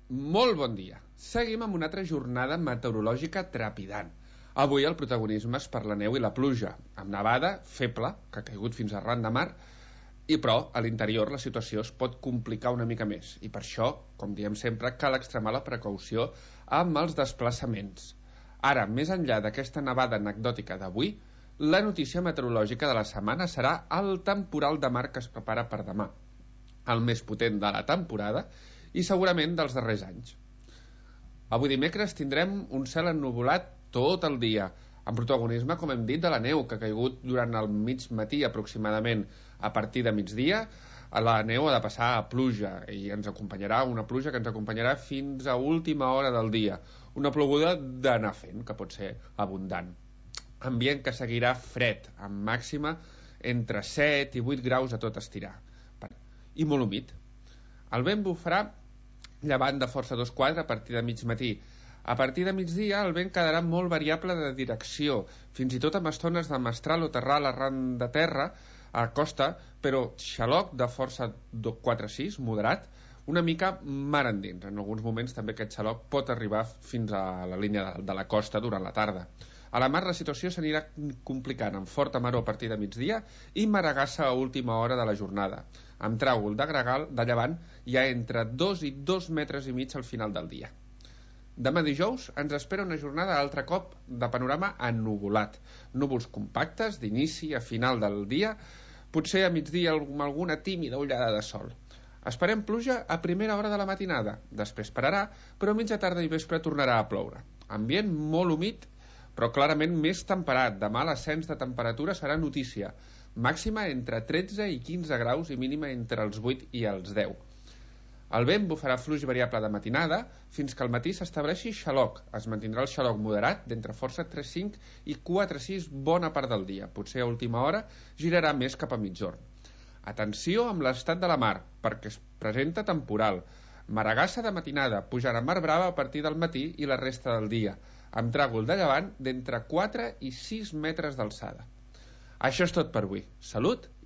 Molt bon dia. Seguim amb una altra jornada meteorològica trepidant. Avui el protagonisme és per la neu i la pluja, amb nevada feble, que ha caigut fins arran de mar, però a l'interior la situació es pot complicar una mica més, i per això, com diem sempre, cal extremar la precaució amb els desplaçaments. Ara, més enllà d'aquesta nevada anecdòtica d'avui, la notícia meteorològica de la setmana serà el temporal de mar que es prepara per demà, el més potent de la temporada i segurament dels darrers anys. Avui dimecres tindrem un cel ennuvolat tot el dia, amb protagonisme, com hem dit, de la neu que ha caigut durant el mig matí aproximadament. A partir de migdia la neu ha de passar a pluja i ens acompanyarà una pluja que ens acompanyarà fins a última hora del dia, una ploguda d'anar fent, que pot ser abundant. Ambient que seguirà fred, amb màxima entre 7 i 8 graus a tot estirar, i molt humit. El vent bufarà llevant de força 2/4 a partir de mig matí. A partir de migdia el vent quedarà molt variable de direcció, fins i tot amb estones de mestral o terral arran de terra a costa, però xaloc de força 4/6, moderat, una mica mar endins. En alguns moments també aquest xaloc pot arribar fins a la línia de la costa durant la tarda. A la mar la situació s'anirà complicant amb forta maror a partir de migdia i maragassa a última hora de la jornada, amb tràgol de gregal de llevant ja entre 2 i 2 metres i mig al final del dia. Demà dijous ens espera una jornada altre cop de panorama ennuvolat, núvols compactes d'inici a final del dia, potser a migdia amb alguna tímida ullada de sol. Esperem pluja a primera hora de la matinada, després pararà, però a mitja tarda i vespre tornarà a ploure. Ambient molt humit, però clarament més temperat. Demà l'ascens de temperatura serà notícia, màxima entre 13 i 15 graus i mínima entre els 8 i els 10. El vent bufarà fluix variable de matinada fins que al matí s'estableixi xaloc. Es mantindrà el xaloc moderat d'entre força 3,5 i 4,6 bona part del dia. Potser a última hora girarà més cap a migjorn. Atenció amb l'estat de la mar, perquè es presenta temporal. Maragassa de matinada, pujarà mar brava a partir del matí i la resta del dia, amb tràgol de llevant d'entre 4 i 6 metres d'alçada. Això és tot per avui. Salut